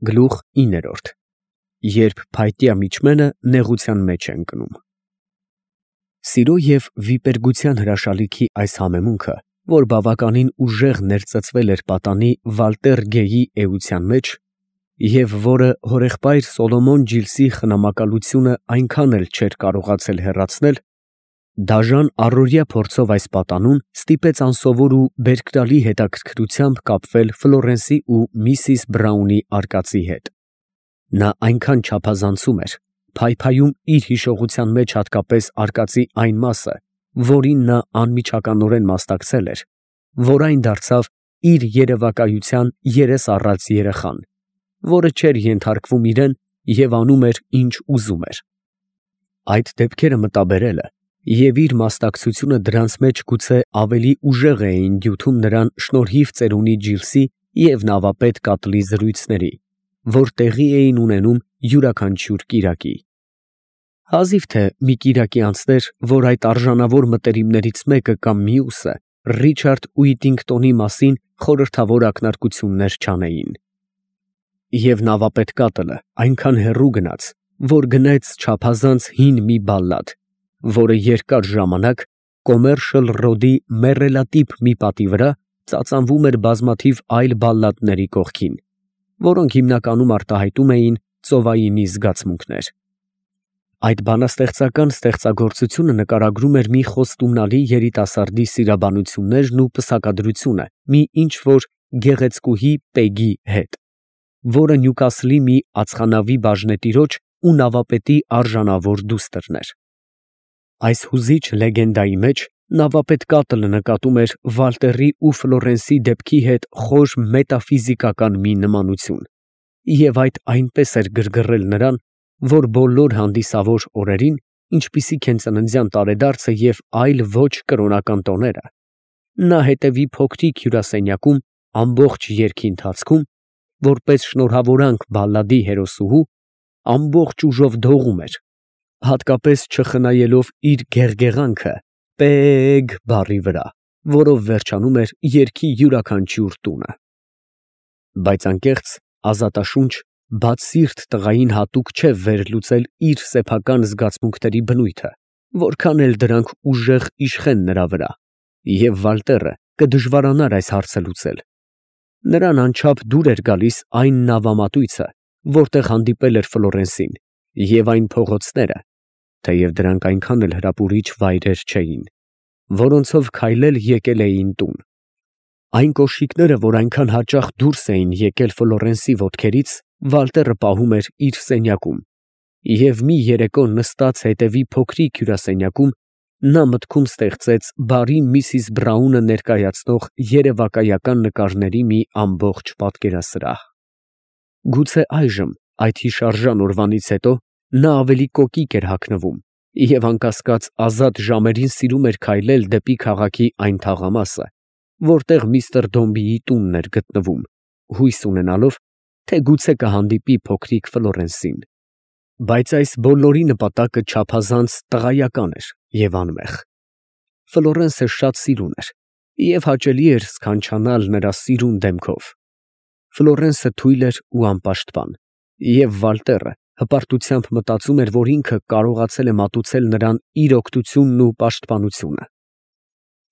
Գլուխ 9 Երբ փայտյա միջմենը նեղության մեջ է ընկնում։ Սիրո և վիպերգության հրաշալիքի այս համեմունքը, որ բավականին ուժեղ ներծծվել էր պատանի Վալտեր Գեյի էության մեջ, և որը հորեղբայր Սոլոմոն Ջիլսի խնամակալությունը այնքան էլ չէր կարողացել հեռացնել, դաժան առօրյա փորձով այս պատանուն ստիպեց անսովոր ու բերկրալի հետաքրքրությամբ կապվել Ֆլորենսի ու Միսիս Բրաունի արկածի հետ։ Նա այնքան չափազանցում էր, փայփայում իր հիշողության մեջ հատկապես արկածի այն մասը, որին նա անմիջականորեն մասնակցել էր, որ այն դարձավ իր երևակայության երես առած երեխան, որը չէր ենթարկվում իրան և անում էր, ինչ ուզում էր։ Այդ դեպքերը մտաբերելը և իր մասնակցությունը դրանց մեջ գուցե ավելի ուժեղ էին դյութում նրան շնորհիվ ծերունի Ջիլսի և նավապետ Կատլի զրույցների, որ տեղի էին ունենում յուրաքանչյուր կիրակի։ Հազիվ թե մի կիրակի անցներ, որ այդ արժանավոր մտերիմներից մեկը կամ մյուսը Ռիչարդ Ուիտինգտոնի մասին խորհրդավոր ակնարկություններ չանեին։ Եվ նավապետ Կատլը այնքան հեռու գնաց, որ գնեց չափազանց հին մի բալլադ, որը երկար ժամանակ Կոմերշալ Ռոդի մեռելատիպ մի պատի վրա ծածանվում էր բազմաթիվ այլ բալլադների կողքին, որոնք հիմնականում արտահայտում էին ծովայինի զգացմունքներ։ Այդ բանաստեղծական ստեղծագործությունը նկարագրում էր մի խոստումնալի երիտասարդի սիրաբանություններն ու պսակադրությունը մի ինչ֊որ գեղեցկուհի Պեգի հետ, որը Նյուկասլի մի ածխանավի բաժնետիրոջ ու նավապետի արժանավոր դուստրն էր։ Այս հուզիչ լեգենդայի մեջ նավապետ Կատլը նկատում էր Վալտերի ու Ֆլորենսի դեպքի հետ խոր մետաֆիզիկական մի նմանություն, և այդ այնպես էր գրգռել նրան, որ բոլոր հանդիսավոր օրերին, ինչպիսիք են ծննդյան տարեդարձը և այլ ոչ կրոնական տոները, նա հետևի փոքրիկ հյուրասենյակում ամբողջ երգի ընթացքում, որպես շնորհավորանք բալլադի հերոսուհու, ամբողջ ուժով դողում էր, հատկապես չխնայելով իր գեղգեղանքը «Պեեեգ» բառի վրա, որով վերջանում էր երգի յուրաքանչյուր տունը։ Բայց անկեղծ, ազատաշունչ, բացսիրտ տղային հատուկ չէ վերլուծել իր սեփական զգացմունքների բնույթը, որքան էլ դրանք ուժեղ իշխեն նրա վրա, և Վալտերը կդժվարանար այս հարցը լուծել։ Նրան անչափ դուր էր գալիս այն նավամատույցը, որտեղ հանդիպել էր Ֆլորենսին, և այն փողոցները, թեև դրանք այնքան էլ հրապուրիչ վայրեր չէին, որոնցով քայլել եկել էին տուն։ Այն կոշիկները, որ այնքան հաճախ դուրս էին եկել Ֆլորենսի ոտքերից, Վալտերը պահում էր իր սենյակում, և մի երեկո նստած հետևի փոքրիկ հյուրասենյակում, նա մտքում ստեղծեց բարի Միսիս Բրաունը ներկայացնող երևակայական նկարների մի ամբողջ պատկերասրահ։ Գուցե այժմ, այդ հիշարժան օրվանից հետո, նա ավելի կոկիկ էր հագնվում և անկասկած ազատ ժամերին սիրում էր քայլել դեպի քաղաքի այն թաղամասը, որտեղ միստր Դոմբիի տունն էր գտնվում, հույս ունենալով, թե գուցե կհանդիպի փոքրիկ Ֆլորենսին։ Բայց այս բոլորի նպատակը չափազանց տղայական էր և անմեղ։ Ֆլորենսը շատ սիրուն էր, և հաճելի էր սքանչանալ նրա սիրուն դեմքով։ Ֆլորենսը թույլ էր ու անպաշտպան, և Վալտերը հպարտությամբ մտածում էր, որ ինքը կարողացել է մատուցել նրան իր օգնությունն ու պաշտպանությունը։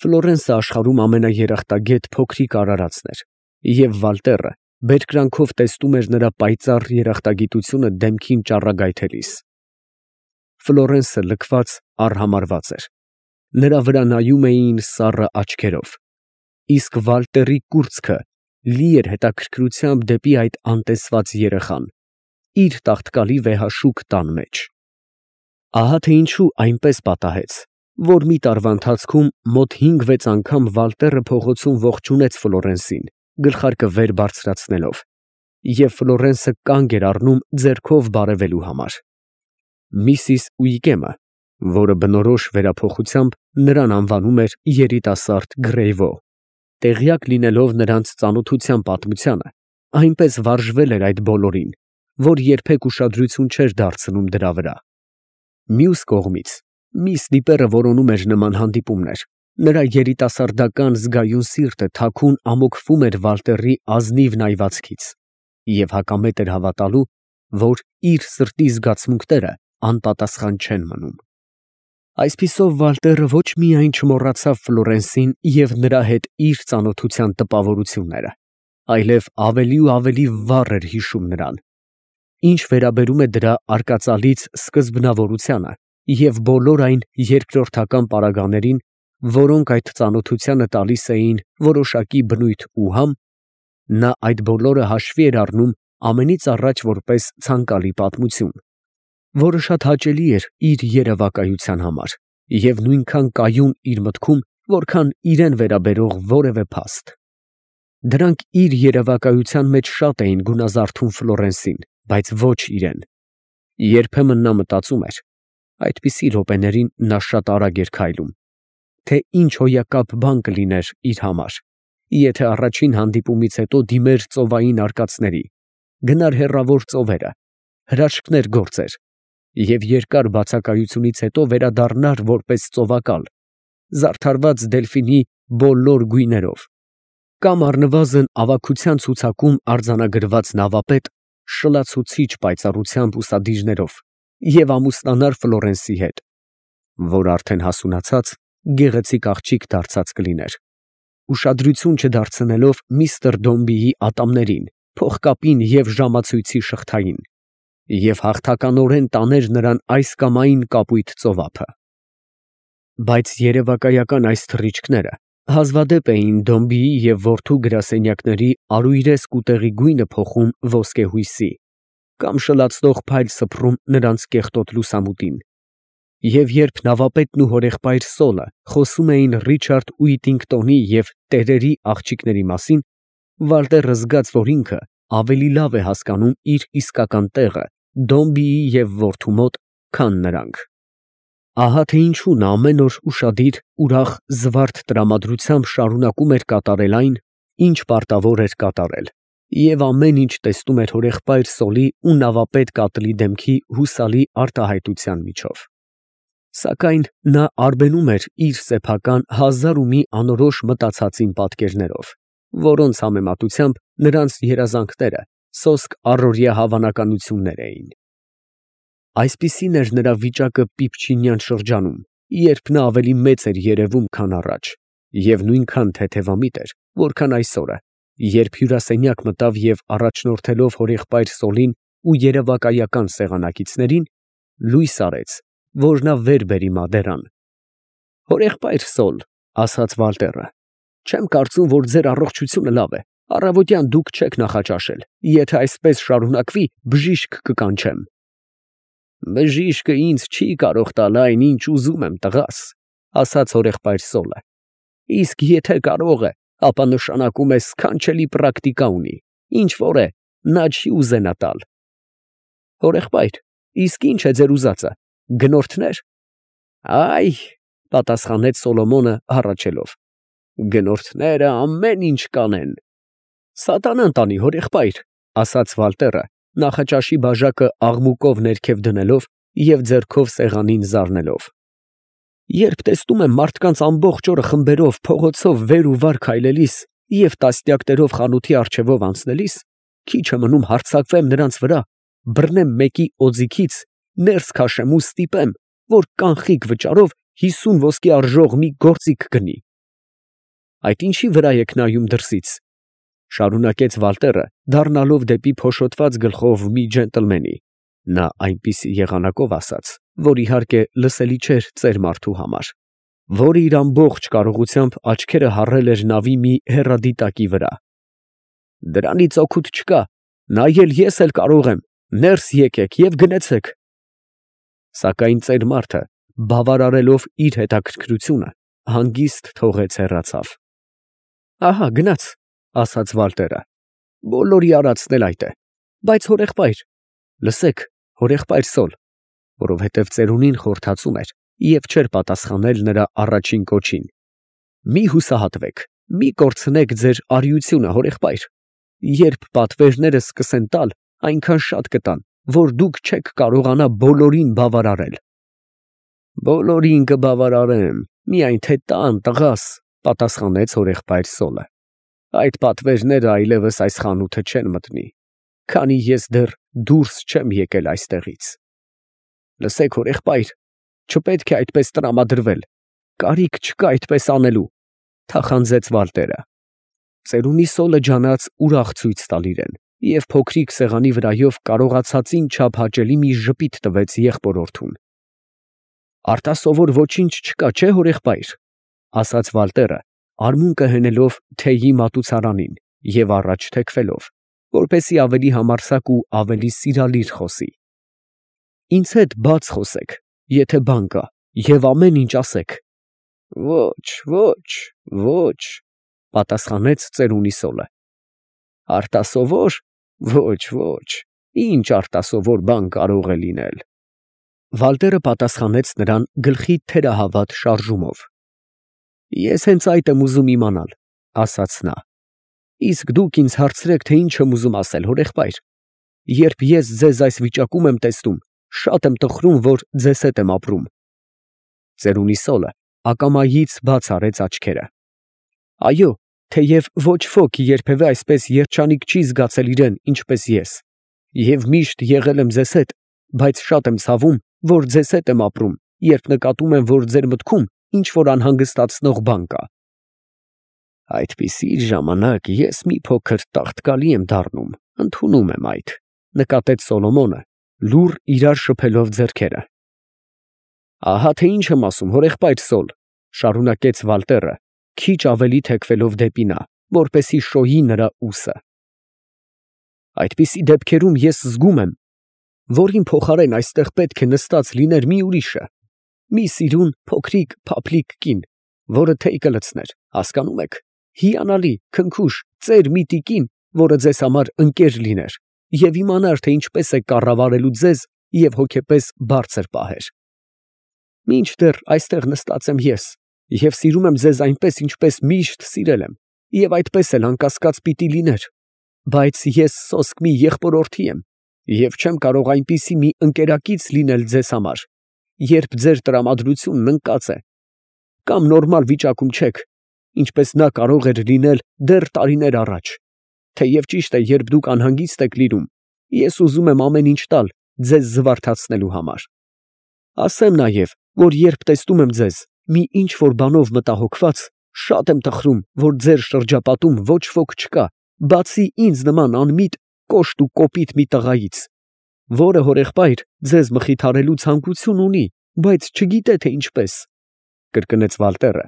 Ֆլորենսը աշխարհում ամենաերախտագետ փոքրիկ արարածն էր, և Վալտերը բերկրանքով տեսնում էր նրա պայծառ երախտագիտությունը դեմքին ճառագայթելիս։ Ֆլորենսը լքված, արհամարհված էր, նրա վրա նայում էին սառը աչքերով, իսկ Վալտերի կուրծքը լի էր հետաքրքրությամբ դեպի այդ անտեսված երեխան, իր տաղտկալի վեհաշուկ տան մեջ։ Ահա թե ինչու այնպես պատահեց, որ մի տարվա ընթացքում մոտ 5-6 անգամ Վալտերը փողոցում ողջունեց Ֆլորենսին, գլխարկը վեր բարձրացնելով, և Ֆլորենսը կանգ էր առնում ձեռքով բարևելու համար։ Միսիս Ուիկեմը, որը բնորոշ վերափոխությամբ նրան անվանում էր երիտասարդ Գրեյվո, տեղյակ լինելով նրանց ծանոթության պատմությանը, այնպես վարժվել էր այդ բոլորին, որ երբեք ուշադրություն չէր դարձնում դրա վրա։ Մյուս կողմից, միս Դիպերը որոնում էր նման հանդիպումներ, նրա երիտասարդական զգայուն սիրտը թաքուն ամոքվում էր Վալտերի ազնիվ նայվածքից, և հակամետ էր հավատալու, որ իր սրտի զգացմունքները անպատասխան չեն մնում։ Այսպիսով Վալտերը ոչ միայն չմոռացավ Ֆլորենսին և նրա հետ իր ծանոթության տպավորությունները, այլև ավելի ու ավելի վառ էր հիշում նրան։ Ինչ վերաբերում է դրա արկածալից սկզբնավորությանը և բոլոր այն երկրորդական պարագաներին, որոնք այդ ծանոթությանը տալիս էին որոշակի բնույթ ու համ, նա այդ բոլորը հաշվի էր առնում ամենից առաջ որպես ցանկալի պատմություն, որը շատ հաճելի էր իր երևակայության համար և նույնքան կայուն իր մտքում, որքան իրեն վերաբերող որևէ փաստ։ Դրանք իր երևակայության մեջ շատ էին գունազարդում Ֆլորենսին, բայց ոչ իրեն։ Երբեմն նա մտածում էր, այդպիսի րոպեներին նա շատ արագ էր քայլում, թե ինչ հոյակապ բան կլիներ իր համար, եթե առաջին հանդիպումից հետո դիմեր ծովային արկածների, գնար հեռավոր ծովերը, հրաշքներ գործեր և երկար բացակայությունից հետո վերադառնար որպես ծովակալ, զարդարված դելֆինի բոլոր գույներով, կամ առնվազն ավագության ցուցակում արձանագրված նավապետ շլացուցիչ պայծառությամբ ուսադիրներով և ամուսնանար Ֆլորենսի հետ, որ արդեն հասունացած գեղեցիկ աղջիկ դարձած կլիներ, ուշադրություն չդարձնելով միսթր Դոմբիի ատամներին, փողկապին և ժամացույցի շղթային, և հաղթականորեն տաներ նրան այս կամ այն կապույտ ծովափը։ Բայց երևակայական այս թռիչքները հազվադեպ էին Դոմբիի և որդու գրասենյակների արույրեսկ ուտեղի գույնը փոխում ոսկեհույսի կամ շլացնող փայլ սփռում նրանց կեղտոտ լուսամուտին, և երբ նավապետն ու հորեղբայր Սոլը խոսում էին Ռիչարդ Ուիտինգտոնի և տերերի աղջիկների մասին, Վալտերը զգաց, որ ինքը ավելի լավ է հասկանում իր իսկական տեղը Դոմբիի և որդու մոտ, քան նրանք։ Ահա թե ինչու նա ամեն օր ուշադիր, ուրախ, զվարթ տրամադրությամբ շարունակում էր կատարել այն, ինչ պարտավոր էր կատարել, և ամեն ինչ տեսնում էր հորեղբայր Սոլի ու նավապետ Կատլի դեմքի հուսալի արտահայտության միջով։ Սակայն նա արբենում էր իր սեփական հազար ու մի անորոշ մտածածին պատկերներով, որոնց համեմատությամբ նրանց երազանքները սոսկ առօրյա հավանականություններ էին։ Այսպիսին էր նրա վիճակը Պիպչինյան շրջանում, երբ նա ավելի մեծ էր երևում, քան առաջ, և նույնքան թեթևամիտ էր, որքան այսօրը, երբ հյուրասենյակ մտավ և առաջնորդելով հորեղբայր Սոլին ու երևակայական սեղանակիցներին, լույս արեց, որ նա վեր բերի մադերան։ «Հորեղբայր Սոլ, ֊ ասաց Վալտերը, ֊ չեմ կարծում, որ ձեր առողջությունը լավ է, առավոտյան դուք չեք նախաճաշել, եթե այսպես շարունակվի, բժիշկ կկանչեմ»։ «Բժիշկը ինձ չի կարող տալ այն, ինչ ուզում եմ, տղաս, ֊ ասաց հորեղբայր Սոլը, ֊ իսկ եթե կարող է, ապա նշանակում է սքանչելի պրակտիկա ունի, ինչ որ է, նա չի ուզենա տալ»։ «Հորեղբայր, իսկ ի՞նչ է ձեր ուզածը, գնորդնե՞ր»։ «Այ, ֊ պատասխանեց Սոլոմոնը հառաչելով, ֊ գնորդները ամեն ինչ կանեն»։ «Սատանան տանի, հորեղբայր, ֊ ասաց Վալտերը, նախաճաշի բաժակը աղմուկով ներքև դնելով և ձեռքով սեղանին զարնելով։ Երբ տեսնում եմ մարդկանց ամբողջ օրը խմբերով փողոցով վեր ու վար քայլելիս և տասնյակներով խանութի առջևով անցնելիս, քիչ է մնում հարձակվեմ նրանց վրա, բռնեմ մեկի օձիքից, ներս քաշեմ ու ստիպեմ, որ կանխիկ վճարով 50 ոսկի արժող մի գործիք գնի։ Այդ ինչի վրա եք նայում դրսից, ֊ շարունակեց Վալտերը, դառնալով դեպի փոշոտված գլխով մի ջենտլմենի (նա այնպիսի եղանակով ասաց, որ իհարկե լսելի չէր ծեր մարդու համար), որը իր ամբողջ կարողությամբ աչքերը հառել էր նավի մի հեռադիտակի վրա։ «Դրանից օգուտ չկա, նայել ես էլ կարող եմ, ներս եկեք և գնեցեք»։ Սակայն ծեր մարդը, բավարարելով իր հետաքրքրությունը, հանգիստ թողեց հեռացավ։ «Ահա գնաց, ֊ ասաց Վալտերը, ֊ բոլորի արածն էլ այդ է, բայց հորեղբայր, լսեք, հորեղբայր Սոլ, ֊ որովհետև ծերունին խորթացում էր և չէր պատասխանել նրա առաջին կոչին, ֊ մի հուսահատվեք, մի կորցնեք ձեր արիությունը, հորեղբայր, երբ պատվերները սկսեն տալ, այնքան շատ կտան, որ դուք չեք կարողանա բոլորին բավարարել։ «Բոլորին կբավարարեմ, միայն թե տան, տղաս, ֊ պատասխանեց հորեղբայր Սոլը, ֊ այդ պատվերները այլևս այս խանութը չեն մտնի»։ քանի ես դեռ դուրս չեմ եկել այստեղից։ Լսեք, հորեղբայր, չպետք է այդպես տրամադրվել, կարիք չկա այդպես անելու, թախանձեց Վալտերը։ Ծերունի Սոլը ջանաց ուրախ ցույց տալ իրեն, և փոքրիկ սեղանի վրայով կարողացածին չափ հաճելի մի ժպիտ տվեց եղբորորդուն։ Արտասովոր ոչինչ չկա, չէ՞ հորեղբայր, ասաց Վալտերը, արմունկը հենելով թեյի մատուցարանին և առաջ թեքվելով, որպեսզի ավելի համարձակ ու ավելի սիրալիր խոսի։ Ինձ հետ բաց խոսեք, եթե բան կա, և ամեն ինչ ասեք։ Ոչ, պատասխանեց ծերունի Սոլը։ Արտասովոր, ոչ, ինչ արտասովոր բան կարող է լինել։ Վալտերը պատասխանեց նրան գլխի թերահավատ շարժումով։ Ես հենց այդ եմ ուզում իմանալ, ասաց նա։ Իսկ դուք ինձ հարցրեք, թե ինչ եմ ուզում ասել, հորեղբայր։ Երբ ես ձեզ այս վիճակում եմ տեսնում, շատ եմ տխրում, որ ձեզ հետ եմ ապրում։ Ծերունի Սոլը ակամայից բաց արեց աչքերը։ Այո, թեև ոչ ոք երբևէ այսպես երջանիկ չի զգացել իրեն, ինչպես ես, և միշտ եղել եմ ձեզ հետ, բայց շատ եմ ցավում, որ ձեզ հետ եմ ապրում, երբ նկատում եմ, որ ձեր մտքում ինչ որ անհանգստացնող բան կա։ Այդպիսի ժամանակ ես մի փոքր տաղտկալի եմ դառնում, ընդունում եմ այդ, նկատեց Սոլոմոնը, լուռ իրար շփելով ձեռքերը։ Ահա թե ինչ եմ ասում, հորեղբայր Սոլ, շարունակեց Վալտերը, քիչ ավելի թեքվելով դեպի նա, որպեսզի շոյի նրա ուսը։ Այդպիսի դեպքերում ես զգում եմ, որ իմ փոխարեն այստեղ պետք է նստած լիներ մի ուրիշը, մի սիրուն, փոքրիկ, փափլիկ կին, որը թեյ կլցներ, հասկանում եք, հիանալի, քնքուշ, ծեր մի տիկին, որը ձեզ համար ընկեր լիներ և իմանար, թե ինչպես է կառավարելու ձեզ և հոգեպես բարձր պահեր։ Մինչդեռ այստեղ նստած եմ ես և սիրում եմ ձեզ այնպես, ինչպես միշտ սիրել եմ, և այդպես էլ անկասկած պիտի լիներ, բայց ես սոսկ մի եղբորորդի եմ և չեմ կարող այնպիսի մի ընկերակից լինել ձեզ համար, երբ ձեր տրամադրությունն ընկած է, կամ նորմալ վիճակում չեք, ինչպես նա կարող էր լինել դեռ տարիներ առաջ, թեև ճիշտ է, երբ դուք անհանգիստ եք լինում, ես ուզում եմ ամեն ինչ տալ ձեզ զվարթացնելու համար։ Ասեմ նաև, որ երբ տեսնում եմ ձեզ մի ինչ-որ բանով մտահոգված, շատ եմ տխրում, որ ձեր շրջապատում ոչ ոք չկա, բացի ինձ նման անմիտ, կոշտ ու կոպիտ մի տղայից, որը հորեղբայր ձեզ մխիթարելու ցանկություն ունի, բայց չգիտե, թե ինչպես, կրկնեց Վալտերը,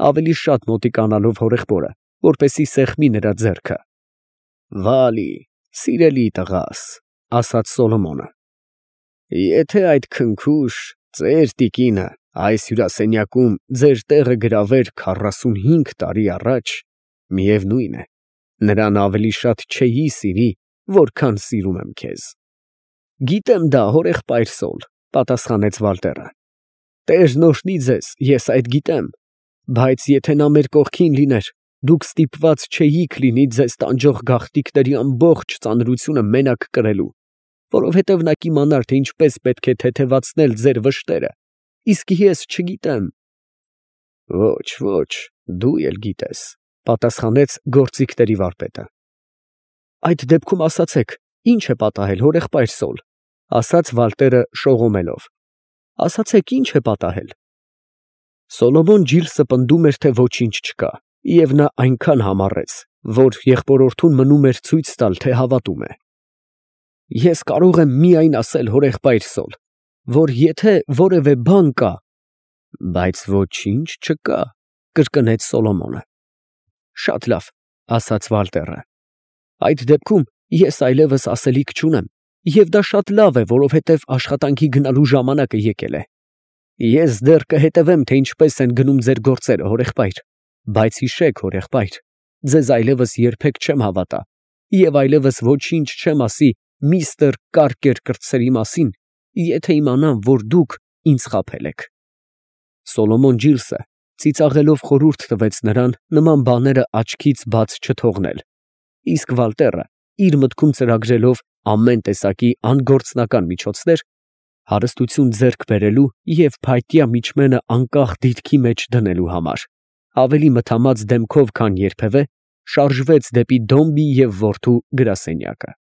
ավելի շատ մոտիկանալով հորեղբորը, որպեսզի սեղմի նրա ձեռքը։ Վալի, սիրելի տղաս, ասաց Սոլոմոնը, եթե այդ քնքուշ ծեր տիկինը այս հյուրասենյակում ձեր տեղը գրավեր 45 տարի առաջ, միևնույն է, նրան ավելի շատ չէի սիրի, որքան սիրում եմ քեզ։ Գիտեմ դա, հորեղբայր Սոլ, պատասխանեց Վալտերը։ Տերն օրհնի ձեզ, ես այդ գիտեմ, բայց եթե նա մեր կողքին լիներ, դուք ստիպված չէիք լինի ձեզ տանջող գաղտնիքների ամբողջ ծանրությունը մենակ կրելու, որովհետև նա կիմանար, թե ինչպես պետք է թեթևացնել ձեր վշտերը, իսկ ես չգիտեմ։ Ոչ, դու էլ գիտես, պատասխանեց գործիքների վարպետը։ Այդ դեպքում ասացեք, ինչ է պատահել, հորեղբայր Սոլ, ասաց Վալտերը շողոմելով։ Ասացեք, ինչ է պատահել։ Սոլոմոն Ջիլսը պնդում էր, թե ոչինչ չկա, և նա այնքան համառեց, որ եղբորորդուն մնում էր ցույց տալ, թե հավատում է։ Ես կարող եմ միայն ասել, հորեղբայր Սոլ, որ եթե որևէ բան կա, բայց ոչինչ չկա, կրկնեց Սոլոմոնը։ Շատ լավ, ասաց Վալտերը։ Այդ դեպքում ես այլևս ասելիք չունեմ, և դա շատ լավ է, որովհետև աշխատանքի գնալու ժամանակը եկել է։ Ես դեռ կհետևեմ, թե ինչպես են գնում ձեր գործերը, հորեղբայր, բայց հիշեք, հորեղբայր, ձեզ այլևս երբեք չեմ հավատա և այլևս ոչինչ չեմ ասի միստր Կարկեր կրտսերի մասին, եթե իմանամ, որ դուք ինձ խաբել եք։ Սոլոմոն Ջիլսը ծիծաղելով խորհուրդ տվեց նրան նման բաները աչքից բաց չթողնել, իսկ Վալտերը, իր մտքում ծրագրելով ամեն տեսակի անգործնական միջոցներ, հարստություն ձեռք բերելու և փայտյա միջմենը անկախ դիրքի մեջ դնելու համար, ավելի մթամած դեմքով, քան երբևէ, շարժվեց դեպի Դոմբի և որդու գրասենյակը։